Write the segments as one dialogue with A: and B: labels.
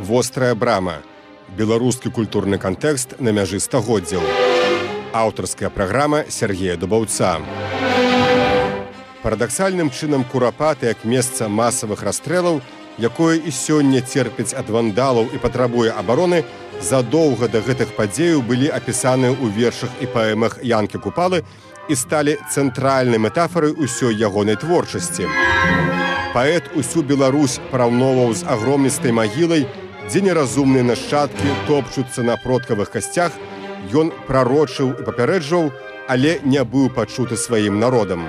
A: «Вострая брама». Беларускі культурны кантэкст на мяжы стагоддзяў. Аўтарская праграма Сергея Дубаўца. Парадаксальным чынам Курапаты як месца масавых расстрэлаў, якое і сёння церпіць ад вандалаў і патрабуе абароны, задоўга да гэтых падзеяў былі апісаныя ў вершах і паэмах Янкі Купалы і сталі цэнтральнай метафорай усёй ягонай творчасці. Паэт усю Беларусь параўноўваў з агромністай магілай, дзе неразумныя нашчадкі топчуцца на продкавых касцях. Ён прарочыў і папярэджваў, але не быў пачуты сваім народам.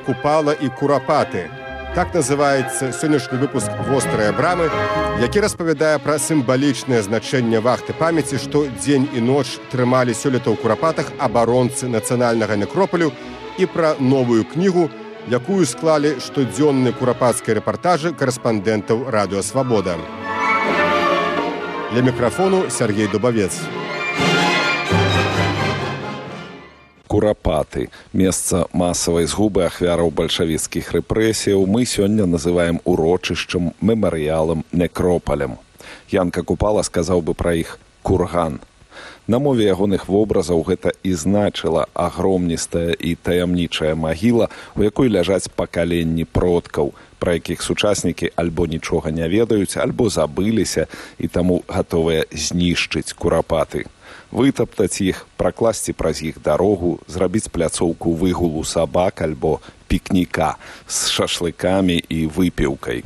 A: Купала і Курапаты. Так называецца сённяшні выпуск «Вострая брамы», які распавядае пра сімвалічнае значэнне вахты памяці, што дзень і ноч трымалі сёлета ў Курапатах абаронцы нацыянальнага некропалю, і пра новую кнігу, якую склалі штодзённыя курапацкія рэпартажы карэспандэнтаў Радыё Свабода. Для мікрафону Сергей Дубавец.
B: Курапаты – месца масавай згубы ахвяраў бальшавіцкіх рэпрэсіяў мы сёння называем урочышчам, мемарыялам, некропалем. Янка Купала сказаў бы пра іх «курган». На мове ягоных вобразаў гэта і значыла агромністая і таямнічая магіла, у якой ляжаць пакаленні продкаў, пра якіх сучаснікі альбо нічога не ведаюць, альбо забыліся і таму гатовыя знішчыць Курапаты. Вытаптаць іх, пракласці праз іх дарогу, зрабіць пляцоўку выгулу сабак альбо пікніка з шашлыкамі і выпіўкай.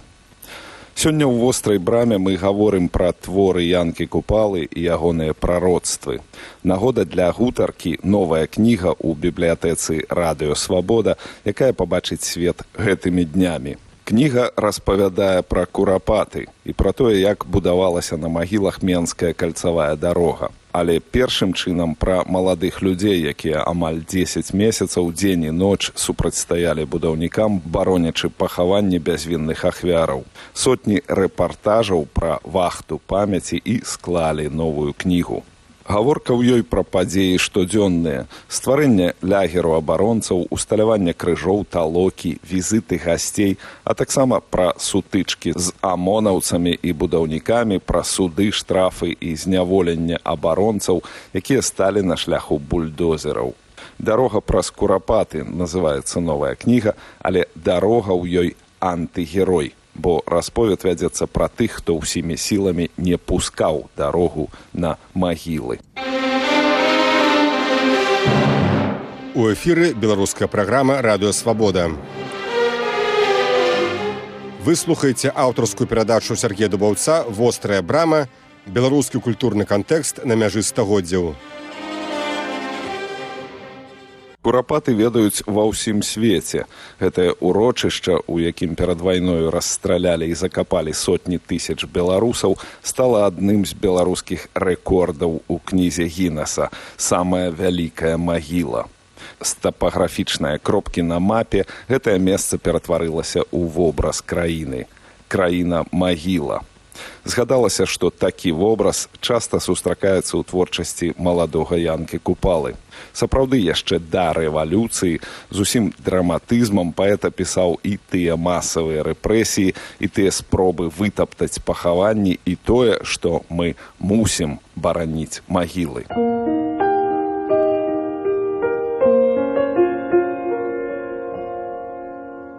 B: Сёння ў «Вострай браме» мы гаворым пра творы Янкі Купалы і ягоныя прароцтвы. Нагода для гутаркі новая кніга ў бібліятэцы «Радыё Свабода», якая пабачыць свет гэтымі днямі. Кніга распавядае пра Курапаты і пра тое, як будавалася на магілах Менская кальцавая дарога. Але першым чынам пра маладых людзей, якія амаль 10 месяцаў дзень і ноч супрацьстаялі будаўнікам, баронячы пахаванні бязвінных ахвяраў. Сотні рэпартажаў пра вахту памяці і склалі новую кнігу. Гаворка ў ёй пра падзеі штодзённыя, стварэнне лагеру абаронцаў, усталяванне крыжоў, талокі, візіты гасцей, а таксама пра сутычкі з амонаўцамі і будаўнікамі, пра суды, штрафы і зняволенне абаронцаў, якія сталі на шляху бульдозераў. «Дарога праз Курапаты» называецца новая кніга, але дарога ў ёй антыгерой, бо расповед вядзецца пра тых, хто ўсімі сіламі не пускаў дарогу на магілы.
A: У эфіры беларуская праграма «Радыё Свабода». Вы слухаеце аўтарскую перадачу Сергея Дубаўца «Вострая брама», беларускі культурны кантэкст на мяжы стагоддзяў.
B: Курапаты ведаюць ва ўсім свеце. Гэтае урочышча, у якім перад вайною расстралялі і закапалі сотні тысяч беларусаў, стала адным з беларускіх рэкордаў у кнізе Гіннеса «Самая вялікая магіла». З тапаграфічнай кропкі на мапе гэтае месца ператварылася ў вобраз краіны. Краіна-магіла. Згадалася, што такі вобраз часта сустракаецца ў творчасці маладога Янкі Купалы. Сапраўды, яшчэ да рэвалюцыі з усім драматызмам паэт апісаў і тыя масавыя рэпрэсіі, і тыя спробы вытаптаць пахаванні, і тое, што мы мусім бараніць магілы.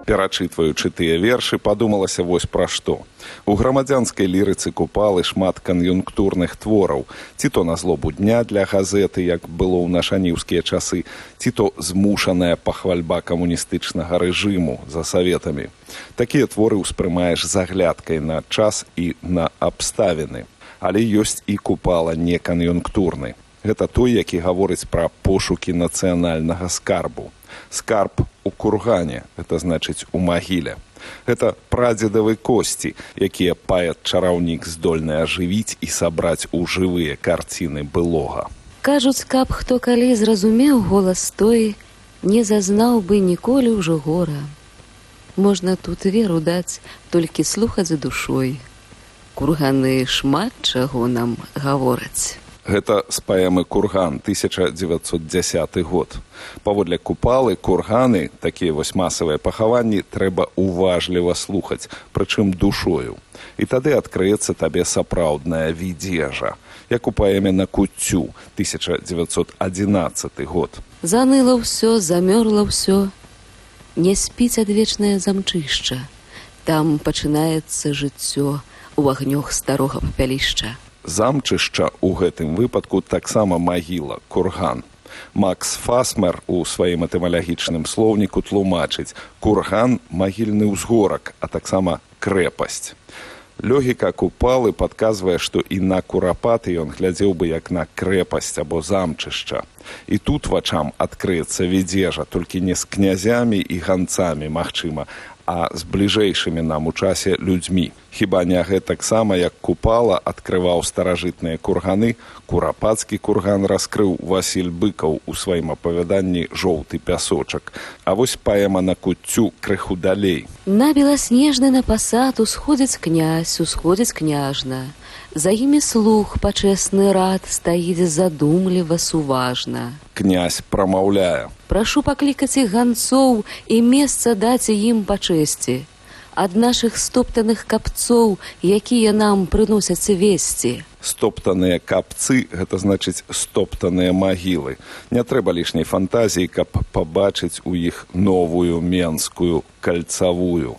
B: Перачытваючы тыя вершы, падумалася вось пра што. У грамадзянскай лірыцы Купалы шмат кан'юнктурных твораў, ці то на злобу дня для газеты, як было ў нашаніўскія часы, ці то змушаная пахвальба камуністычнага рэжыму за саветамі. Такія творы ўспрымаеш з аглядкай на час і на абставіны. Але ёсць і Купала не кан'юнктурны. Гэта той, які гаворыць пра пошукі нацыянальнага скарбу. Скарб у кургане, гэта значыць у магіле. Гэта прадзедавы косці, якія паэт-чараўнік здольны ажывіць і сабраць у жывыя карціны былога.
C: Кажуць, каб хто калі зразумеў голас той, не зазнаў бы ніколі ўжо гора. Можна тут веру даць, толькі слухаць за душой. Курганы шмат чаго нам гавораць.
B: Гэта з паэмы «Курган», 1910 год. Паводле Купалы, курганы, такія вось масавыя пахаванні, трэба уважліва слухаць, прычым душою. І тады адкрыецца табе сапраўдная відзежа, як у паэме «На куццю», 1911 год.
C: Заныла ўсё, замёрла ўсё, не спіць адвечнае замчышча. Там пачынаецца жыццё у агнёх старога папялішча.
B: Замчышча ў гэтым выпадку таксама магіла, курган. Макс Фасмер у сваім этымалагічным слоўніку тлумачыць: курган – магільны ўзгорак, а таксама крэпасць. Логіка Купалы падказвае, што і на Курапаты ён глядзеў бы як на крэпасць або замчышча. І тут вачам адкрыецца відзежа, толькі не з князямі і ганцамі, магчыма, а з бліжэйшымі нам у часе людзьмі. Хіба не гэтаксама, як Купала адкрываў старажытныя курганы, Курапацкі курган раскрыў Васіль Быкаў у сваім апавяданні «Жоўты пясочак». А вось паэма «На куццю» крыху далей.
C: На беласнежны на пасад усходзіць князь, усходзіць княжна. За імі слух пачэсны рад стаіць задумліва суважна.
B: Князь прамаўляе:
C: «Прашу паклікаць іх ганцоў і месца даць ім па чэсці. Ад нашых стоптаных капцоў, якія нам прыносяць весці».
B: Стоптаныя капцы – гэта значыць стоптаныя магілы. Не трэба лішняй фантазіі, каб пабачыць у іх новую менскую кальцавую.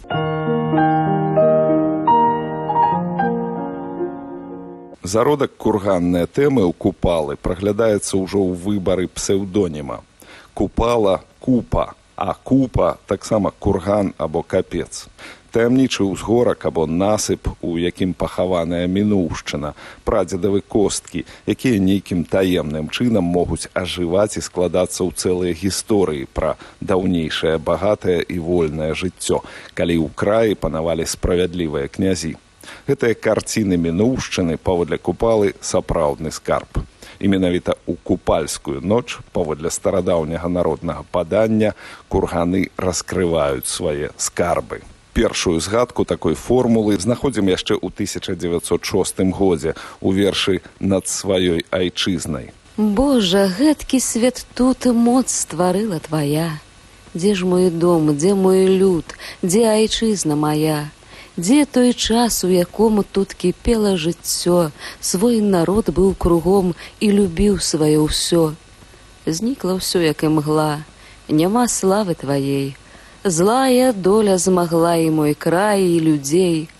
B: Зародак курганныя тэмы ў Купалы праглядаецца ўжо ў выбары псеўдоніма. Купала – купа, а купа – таксама курган або капец. Таямнічы ўзгорак або насып, у якім пахаваная мінуўшчына, прадзедавы косткі, якія нейкім таемным чынам могуць ажываць і складацца ў цэлыя гісторыі пра даўнейшае багатае і вольнае жыццё, калі ў краі панавалі справядлівыя князі. Гэтыя карціны мінуўшчыны, паводле Купалы, сапраўдны скарб. І менавіта ў купальскую ноч, паводле старадаўняга народнага падання, курганы раскрываюць свае скарбы. Першую згадку такой формулы знаходзім яшчэ ў 1906 годзе у вершы «Над сваёй айчызнай».
C: Божа, гэткі свет тут моц стварыла твая. Дзе ж мой дом, дзе мой люд, дзе айчызна моя? Дзе той час, у якому тут кіпела жыццё, свой народ быў кругом і любіў сваё ўсё. Знікла ўсё, як імгла, няма славы тваей. Злая доля змагла і мой край, і людзей.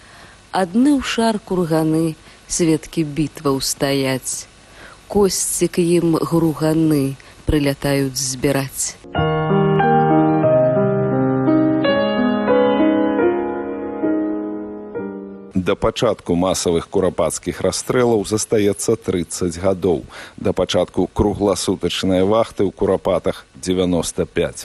C: Адны ў шар курганы, сведкі бітваў стаяць. Косці к ім груганы прылятаюць збіраць.
B: Да пачатку масавых курапацкіх расстрэлаў застаецца 30 гадоў. Да пачатку кругласутачнай вахты ў Курапатах 95.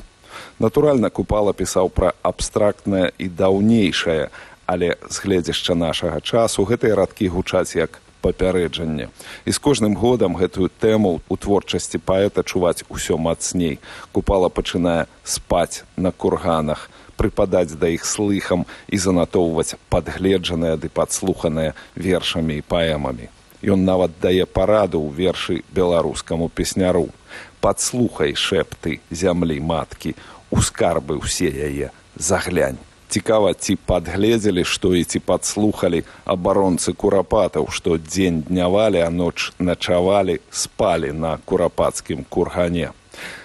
B: Натуральна, Купала пісаў пра абстрактнае і даўнейшае, але з гледзяшча нашага часу гэтыя радкі гучаць як папярэджанне. І з кожным годам гэтую тэму ў творчасці паэта чуваць усё мацней. Купала пачынае спаць на курганах, прыпадаць да іх слыхам і занатоўваць падгледжаныя ды падслуханыя вершамі і паэмамі. Ён нават дае параду ў вершы беларускаму песняру: «Падслухай шэпты зямлі маткі, у скарбы ўсе яе заглянь». Цікава, ці падгледзелі, што і ці падслухалі абаронцы Курапатаў, што дзень днявалі, а ноч начавалі, спалі на курапацкім кургане.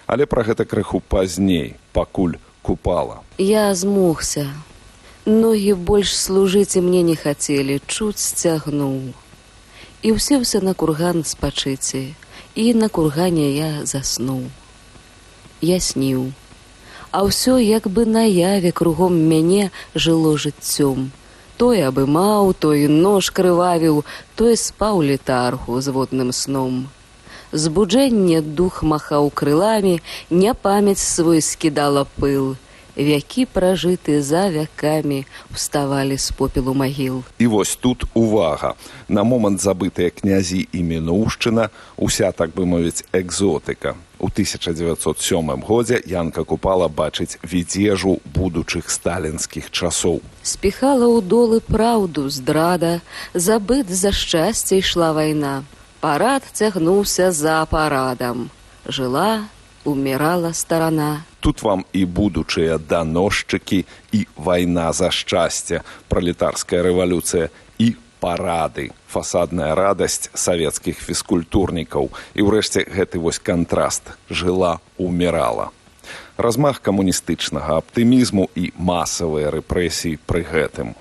B: Але пра гэта крыху пазней, пакуль Купала.
C: Я змогся. Ногі больш служыць і мне не хацелі, чуць сцягнуў. І ўсеўся на курган спачыце, і на кургане я заснуў. Я сніў. А ўсё як бы наяве кругом мяне жыло жыццём. Той абымаў, той нож крывавіў, той спаў летаргу з водным сном. Збуджэнне дух махаў крыламі, няпамяць свой скідала пыл. Вякі пражыты за вякамі уставалі з попелу магіл.
B: І вось тут увага. На момант забытыя князі і мінуўшчына, уся, так бы мовіць, экзотыка. У 1907 годзе Янка Купала бачыць відзежу будучых сталінскіх часоў.
C: Спіхала ў долы праўду здрада, забыт за шчасце ішла вайна. Парад цягнуўся за парадам. Жыла, умирала старана.
B: Тут вам і будучыя даносчыкі, і вайна за шчасце, пралетарская рэвалюцыя, і парады, фасадная радасць савецкіх фізкультурнікаў. І ўрэшце гэты вось кантраст. Жыла, умирала. Размах камуністычнага аптымізму і масавыя рэпрэсіі пры гэтым.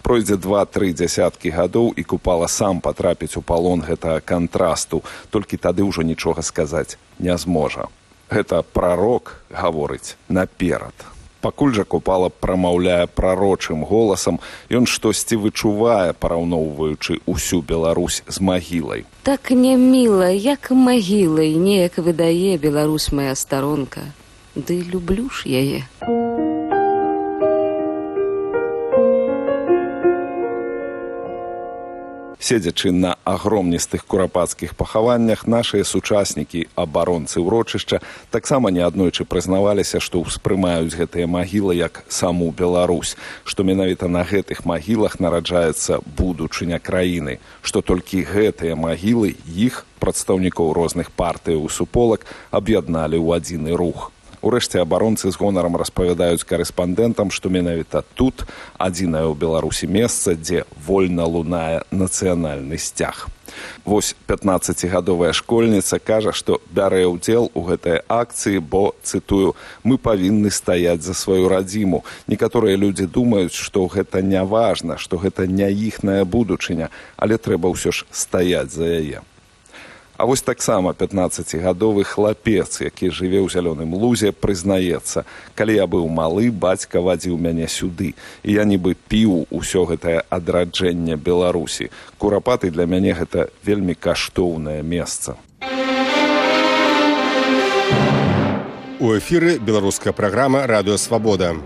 B: Пройдзе 2-3 дзясяткі гадоў, і Купала сам патрапіць у палон гэтага кантрасту, толькі тады ўжо нічога сказаць не зможа. Гэта прарок гаворыць наперад. Пакуль жа Купала прамаўляе прарочым голасам, ён штосьці вычувае, параўноўваючы ўсю Беларусь з магілай.
C: Так няміла, як магілай, неяк выдае Беларусь моя старонка. Ды люблю ж яе.
B: Седзячы на агромністых курапацкіх пахаваннях, нашыя сучаснікі, абаронцы ўрочышча, таксама неаднойчы прызнаваліся, што ўспрымаюць гэтыя магілы як саму Беларусь, што менавіта на гэтых магілах нараджаецца будучыня краіны, што толькі гэтыя магілы іх, прадстаўнікоў розных партыяў і суполак, аб'ядналі ў адзіны рух. Урэшце абаронцы з гонарам распавядаюць карэспандэнтам, што менавіта тут адзінае ў Беларусі месца, дзе вольна лунае нацыянальны сцяг. Вось 15-гадовая школьніца кажа, што бярэ ўдзел у гэтай акцыі, бо, цытую, «мы павінны стаяць за сваю радзіму». Некаторыя людзі думаюць, што гэта не важна, што гэта не іхная будучыня, але трэба ўсё ж стаяць за яе. А вось таксама 15-гадовы хлапец, які жыве ў Зялёным Лузе, прызнаецца: «Калі я быў малы, бацька вадзіў мяне сюды, і я нібы піў усё гэтае адраджэнне Беларусі. Курапаты для мяне гэта вельмі каштоўнае месца».
A: У эфіры беларуская праграма «Радыё Свабода».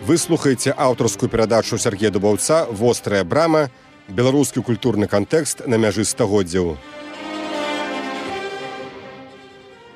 A: Вы слухаеце аўтарскую перадачу Сергея Дубаўца «Вострая брама», беларускі культурны кантэкст на мяжы стагоддзяў.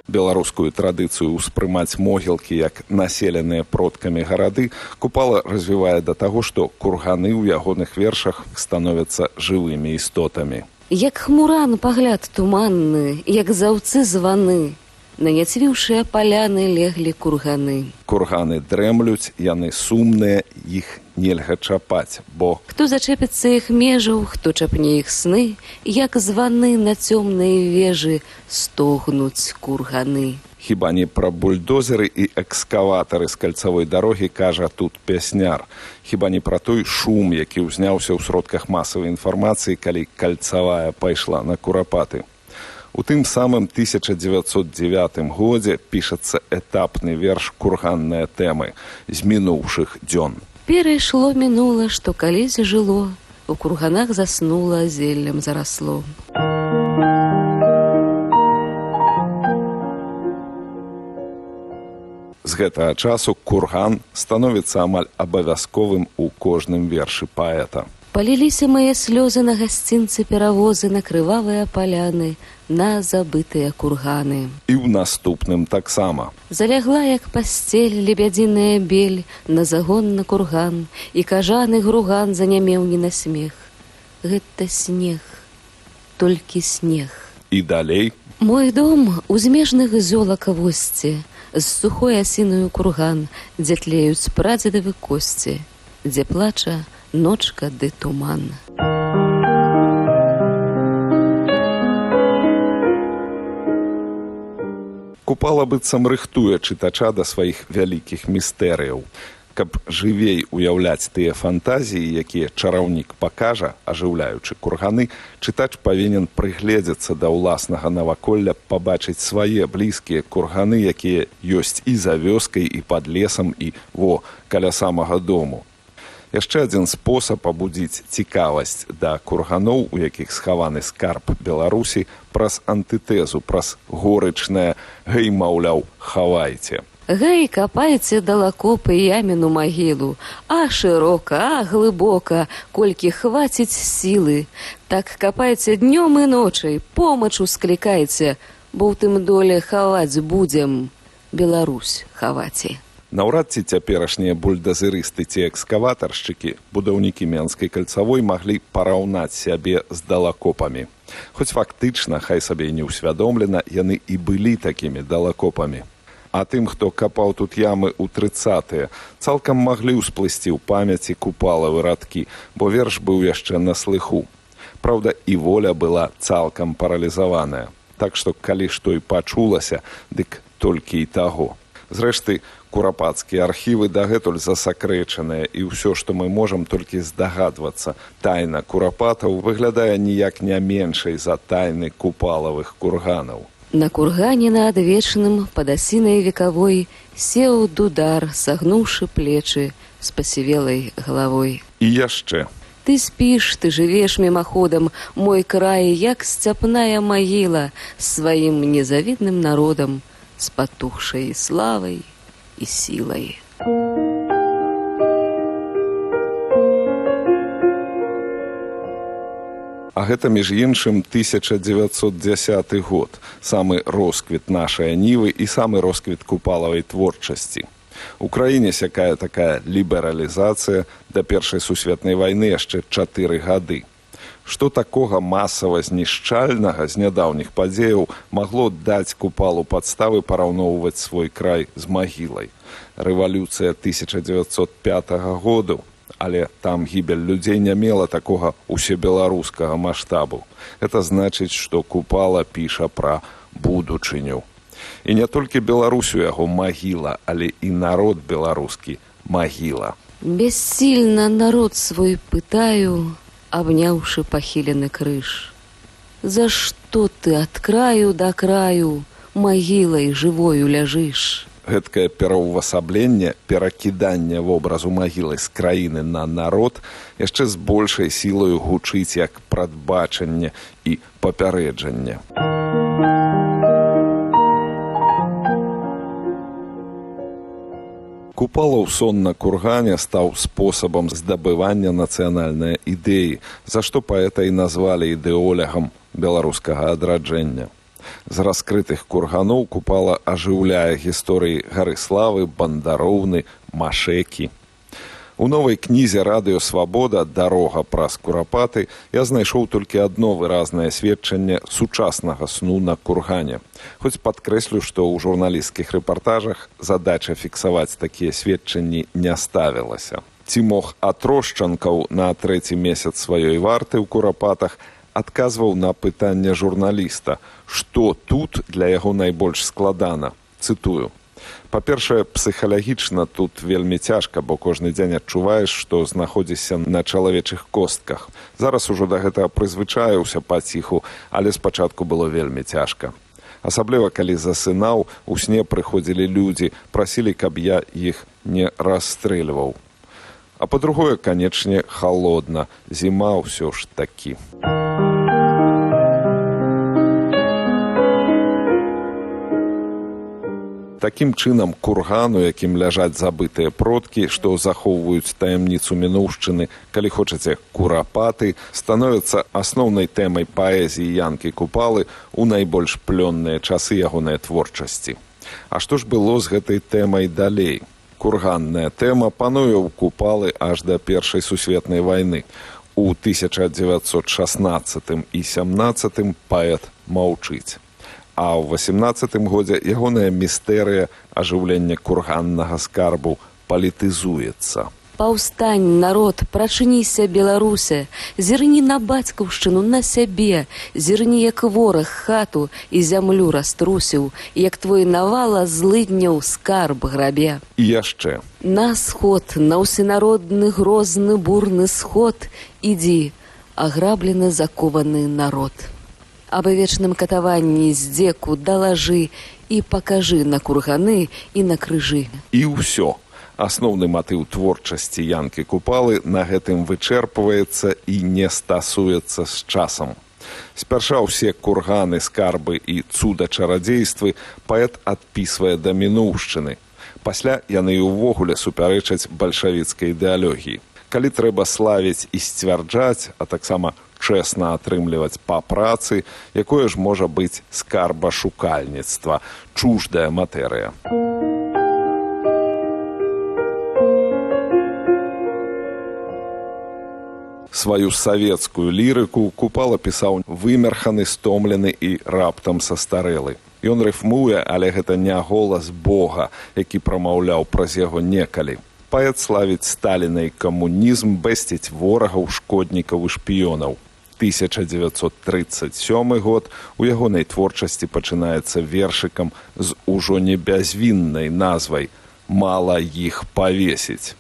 B: Беларускую традыцыю ўспрымаць могілкі як населеныя продкамі гарады Купала развівае да таго, што курганы ў ягоных вершах становяцца жывымі істотамі.
C: Як хмуран пагляд туманны, як заўцы званы, на няцвіўшыя паляны леглі курганы.
B: Курганы дрэмлюць, яны сумныя, іх нельга чапаць, бо
C: хто зачэпіцца іх межаў, хто чапне іх сны, як званы на цёмнай вежы стогнуць курганы.
B: Хіба не пра бульдозеры і экскаватары з кальцавой дарогі кажа тут пясняр. Хіба не пра той шум, які ўзняўся ў сродках масавай інфармацыі, калі кальцавая пайшла на курапаты. У тым самым 1909 годзе пішацца этапны верш «Курганныя тэмы» з мінуўшых дзён.
C: Перайшло мінула, што калісь жыло, у курганах заснула, зеллем зарасло.
B: З гэтага часу курган становіцца амаль абавязковым у кожным вершы паэта.
C: Паліліся мае слёзы на гасцінцы перавозы, на крывавыя паляны, на забытыя курганы.
B: І ў наступным таксама.
C: Залягла, як пасцель, лебядзіная бель, на загон на курган, і кажаны груган занямеў не на смех. Гэта снег, толькі снег.
B: І далей.
C: Мой дом у змежных золака восці, з сухой асіною курган, дзе тлеюць прадзедавы косці, дзе плача ночка ды туман.
B: Купала быццам рыхтуе чытача да сваіх вялікіх містэрыяў. Каб жывей уяўляць тыя фантазіі, якія чараўнік пакажа, ажыўляючы курганы, чытач павінен прыгледзецца да ўласнага наваколля, пабачыць свае блізкія курганы, якія ёсць і за вёскай, і пад лесам, і каля самага дому. Яшчэ адзін спосаб абудзіць цікавасць да курганоў, у якіх схаваны скарб Беларусі, праз антытэзу, праз горычнае «гэй, маўляў, хавайце».
C: Гэй, капайце далакопы яміну магілу, а шырока, а глыбока, колькі хваціць сілы. Так капайце днём і ночай, помачу склікайце, бо ў тым доле хаваць будзем, Беларусь хаваце.
B: Наўрад ці цяперашнія бульдазерысты ці экскаватаршчыкі, будаўнікі Менскай кальцавой маглі параўнаць сябе з далакопамі. Хоць фактычна, хай сабе і не ўсвядомлена, яны і былі такімі далакопамі. А тым, хто капаў тут ямы ў 30-е, цалкам маглі ўсплысці ў памяці Купалавы радкі, бо верш быў яшчэ на слыху. Праўда, і воля была цалкам паралізаваная. Так што, калі што і пачулася, дык толькі і таго. Зрэшты, курапацкія архівы дагэтуль засакрэчаныя, і ўсё, што мы можам толькі здагадвацца, тайна курапатаў выглядае ніяк не меншай за тайны Купалавых курганаў.
C: На кургане над вечным под осиной вековой сеў дудар, согнувши плечи с посивелой головой.
B: И яшчэ.
C: Ты спишь, ты живешь мимоходом, мой край, як степная могила, с своим незавидным народом, с потухшей славой и силой.
B: А гэта, між іншым, 1910 год, самы росквіт нашай нівы і самы росквіт Купалавай творчасці. У краіне сякая такая лібералізацыя, да Першай сусветнай вайны яшчэ 4 гады. Што такога масава знішчальнага з нядаўніх падзеяў магло даць Купалу падставы параўноўваць свой край з магілай? Рэвалюцыя 1905 году, але там гібель людзей не мела такога усебеларускага маштабу. Это значыць, што Купала піша пра будучыню. І не толькі Беларусь у яго магіла, але і народ беларускі магіла.
C: Бессильно народ свой пытаю, обняўшы пахілены крыж. За што ты ад краю да краю магілай жывою ляжыш?
B: Гэткае пераўвасабленне, перакіданне вобразу магілы з краіны на народ яшчэ з большай сілаю гучыць як прадбачанне і папярэджанне. Купалаў сон на кургане стаў спосабам здабывання нацыянальнай ідэі, за што паэта і назвалі ідэолягам беларускага адраджэння. З раскрытых курганоў Купала ажыўляе гісторыі Гарыславы, Бандароўны, Машэкі. У новай кнізе «Радыё Свабода. Дарога праз курапаты» я знайшоў толькі адно выразнае сведчанне сучаснага сну на кургане. Хоць падкрэслю, што ў журналісцкіх рэпартажах задача фіксаваць такія сведчанні не ставілася. Ці мог Атрошчанкаў на 3-й месяц сваёй варты ў курапатах адказваў на пытанне журналіста, што тут для яго найбольш складана. Цытую. Па-першае, псіхалагічна тут вельмі цяжка, бо кожны дзень адчуваеш, што знаходзішся на чалавечых костках. Зараз ужо да гэтага прызвычаіўся паціху, але спачатку было вельмі цяжка. Асабліва, калі засынаў, у сне прыходзілі людзі, прасілі, каб я іх не расстрэльваў. А па-другое, канечне, халодна. Зіма ўсё ж такі. Такім чынам, курган, у якім ляжаць забытыя продкі, што захоўваюць таямніцу мінуўшчыны, калі хочаце, курапаты, становяцца асноўнай тэмай паэзіі Янкі Купалы ў найбольш плённыя часы ягонай творчасці. А што ж было з гэтай тэмай далей? Курганная тэма пануе ў Купалы аж да Першай сусветнай вайны. У 1916 і 17 паэт маўчыць. А ў 18 годзе ягоная містэрыя ажыўлення курганнага скарбу палітызуецца.
C: Паўстань, народ, прачыніся, Беларусе, зірні на бацькаўшчыну, на сябе, зірні, як вораг хату і зямлю раструсіў, як твой навала злыдняў скарб грабе.
B: І яшчэ.
C: На сход, на ўсенародны грозны бурны сход, ідзі, аграблены закованы народ. Аб вечным катаванні здзеку далажы і пакажы на курганы і на крыжы.
B: І ўсё. Асноўны матыў творчасці Янкі Купалы на гэтым вычэрпваецца і не стасуецца з часам. Спярша ўсе курганы, скарбы і цуда-чарадзействы паэт адпісвае да мінуўшчыны. Пасля яны і ўвогуле супярэчаць бальшавіцкай ідэалогіі. Калі трэба славіць і сцвярджаць, а таксама чэсна атрымліваць па працы, якое ж можа быць скарбашукальніцтва, чуждая матэрыя. Сваю савецкую лірыку Купала пісаў вымерханы, стомлены і раптам састарэлы. Ён рыфмуе, але гэта не голас Бога, які прамаўляў праз яго некалі. Паэт славіць Сталіна і камунізм, бэсціць ворагаў, шкоднікаў і шпіёнаў. 1937 год у ягонай творчасці пачынаецца вершыкам з ужо не бязвіннай назвай «Мала іх павесіць».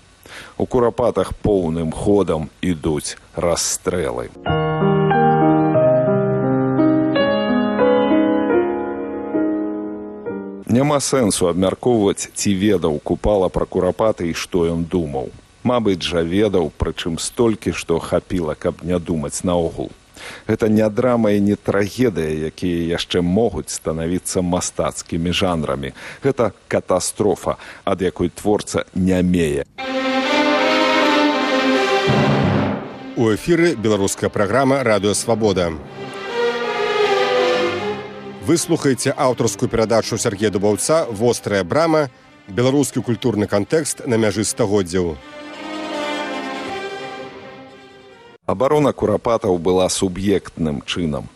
B: У Курапатах поўным ходам ідуць расстрэлы. Няма сэнсу абмяркоўваць, ці ведаў Купала пра Курапаты і што ён думаў. Мабыць жа ведаў, прычым столькі, што хапіла, каб не думаць наогул. Гэта не драма і не трагедыя, якія яшчэ могуць станавіцца мастацкімі жанрамі. Гэта катастрофа, ад якой творца нямее.
A: У эфіры беларуская праграма «Радыё Свабода». Вы слухаеце аўтарскую перадачу Сергея Дубаўца «Вострая брама. Беларускі культурны кантэкст на мяжы стагоддзяў».
B: Абарона Курапатаў была суб'ектным чынам,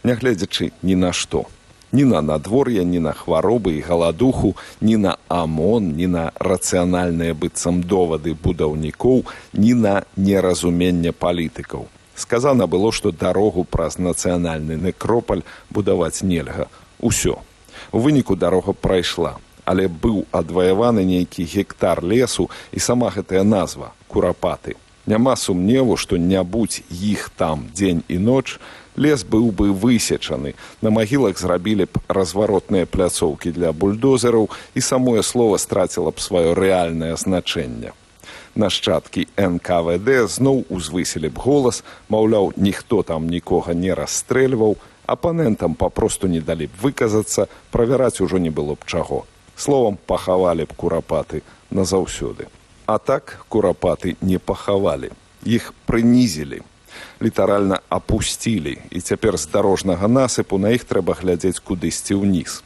B: нягледзячы ні на што. Ні на надвор'е, ні на хваробы і галадуху, ні на АМОН, ні на рацыянальныя быццам довады будаўнікоў, ні на неразуменне палітыкаў. Сказана было, што дарогу праз нацыянальны некропаль будаваць нельга. Усё. У выніку дарога прайшла, але быў адваяваны нейкі гектар лесу і сама гэтая назва – Курапаты. Няма сумневу, што не будь іх там дзень і ноч, лес быў бы высечаны, на магілах зрабілі б разваротныя пляцоўкі для бульдозераў і самое слова страціла б сваё рэальнае значэнне. Нашчадкі НКВД зноў узвысілі б голас, маўляў, ніхто там нікога не расстрэльваў, апанентам папросту не далі б выказацца, правяраць ужо не было б чаго. Словам, пахавалі б Курапаты назаўсёды. А так Курапаты не пахавалі, іх прынізілі, літаральна апусцілі, і цяпер з дарожнага насыпу на іх трэба глядзець кудысьці ўніз.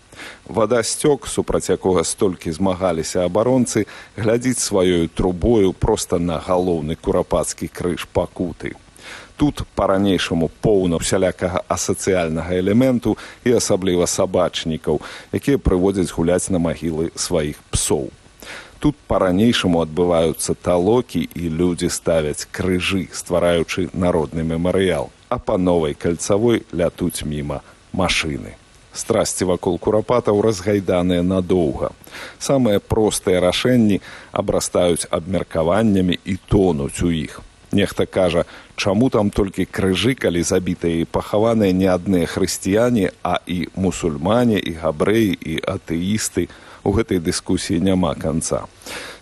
B: Вадасцёк, супраць якога столькі змагаліся абаронцы, глядзіць сваёю трубою проста на галоўны курапацкі крыж пакуты. Тут па-ранейшаму поўна усялякага асацыяльнага элементу і асабліва сабачнікаў, якія прыводзяць гуляць на магілы сваіх псоў. Тут па-ранейшаму адбываюцца талокі і людзі ставяць крыжы, ствараючы народны мемарыял, а па новай кальцавой лятуць міма машыны. Страсці вакол Курапатаў разгайданыя надоўга. Самыя простыя рашэнні абрастаюць абмеркаваннямі і тонуць у іх. Нехта кажа, чаму там толькі крыжы, калі забітыя і пахаваныя не адныя хрысціяне, а і мусульмане, і габрэі, і атэісты. У гэтай дыскусіі няма канца.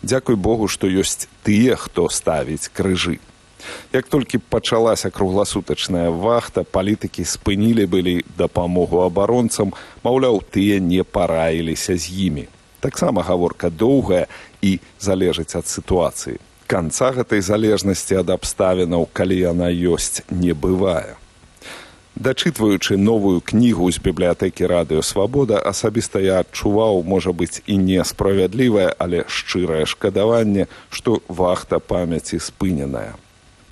B: Дзякуй Богу, што ёсць тыя, хто ставіць крыжы. Як толькі пачалася кругласутачная вахта, палітыкі спынілі былі дапамогу абаронцам, маўляў, тыя не параіліся з імі. Таксама гаворка доўгая і залежыць ад сітуацыі. Канца гэтай залежнасці ад абставінаў, калі яна ёсць, не бывае. Дачытваючы новую кнігу з бібліятэкі «Радыё Свабода», асабіста я адчуваў, можа быць, і несправядлівае, але шчырае шкадаванне, што вахта памяці спыненая.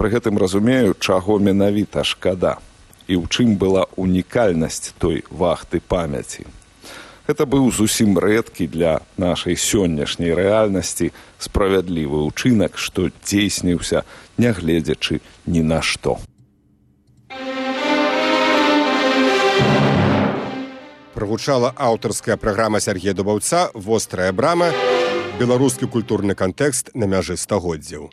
B: Пры гэтым разумею, чаго менавіта шкада і ў чым была унікальнасць той вахты памяці. Гэта быў зусім рэдкі для нашай сённяшняй рэальнасці справядлівы ўчынак, што дзейсніўся, нягледзячы ні на што.
A: Прагучала аўтарская праграма Сергея Дубаўца «Вострая брама. Беларускі культурны кантэкст на мяжы стагоддзяў».